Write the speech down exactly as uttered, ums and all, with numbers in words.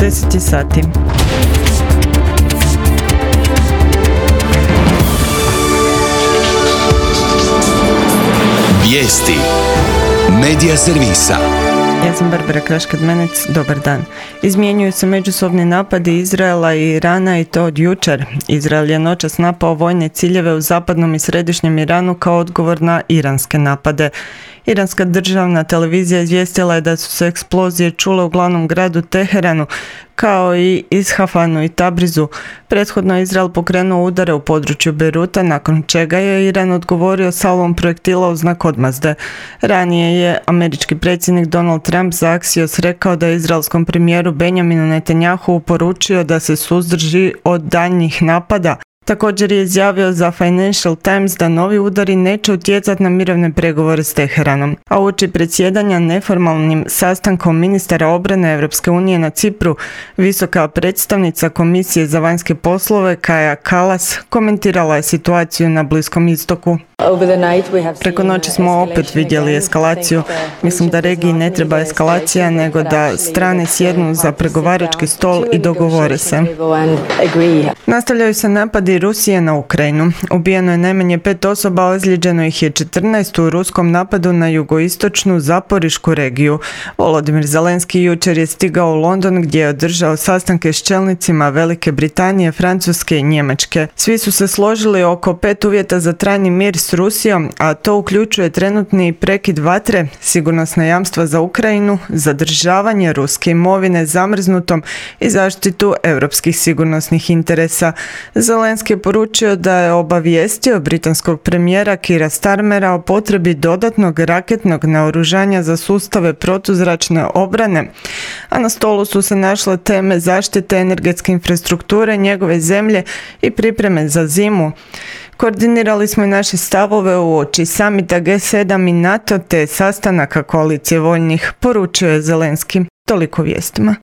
deset sati. Vijesti Medija servisa. Ja sam Barbara Kraškad-Menec, dobar dan. Izmjenjuju se međusobni napadi Izraela i Irana i to od jučer. Izrael je noćas napao vojne ciljeve u zapadnom i središnjem Iranu kao odgovor na iranske napade. Iranska državna televizija izvijestila je da su se eksplozije čule u glavnom gradu Teheranu, kao i Ishafanu i Tabrizu. Prethodno je Izrael pokrenuo udare u području Beiruta, nakon čega je Iran odgovorio salvom projektila u znak odmazde. Ranije je američki predsjednik Donald Trump za Axios rekao da je izraelskom premijeru Benjaminu Netanjahu poručio da se suzdrži od daljnjih napada. Također je izjavio za Financial Times da novi udari neće utjecati na mirovne pregovore s Teheranom. A uoči predsjedanja neformalnim sastankom ministara obrane Europske unije na Cipru, visoka predstavnica Komisije za vanjske poslove Kaja Kallas komentirala je situaciju na Bliskom istoku. Preko noći smo opet vidjeli eskalaciju. Mislim da regiji ne treba eskalacija, nego da strane sjednu za pregovarački stol i dogovore se. Nastavljaju se napadi Rusije na Ukrajinu. Ubijeno je najmanje pet osoba, ozlijeđeno ih je četrnaest u ruskom napadu na jugoistočnu Zaporišku regiju. Volodimir Zelenski jučer je stigao u London gdje je održao sastanke s čelnicima Velike Britanije, Francuske i Njemačke. Svi su se složili oko pet uvjeta za trajni mir s Rusijom, a to uključuje trenutni prekid vatre, sigurnosna jamstva za Ukrajinu, zadržavanje ruske imovine zamrznutom i zaštitu europskih sigurnosnih interesa. Zelenski je poručio da je obavijestio britanskog premijera Keira Starmera o potrebi dodatnog raketnog naoružanja za sustave protuzračne obrane, a na stolu su se našle teme zaštite energetske infrastrukture njegove zemlje i pripreme za zimu. Koordinirali smo i naše stavove uoči samita G sedam i NATO te sastanaka koalicije voljnih, poručio je Zelenski. Toliko vijestima.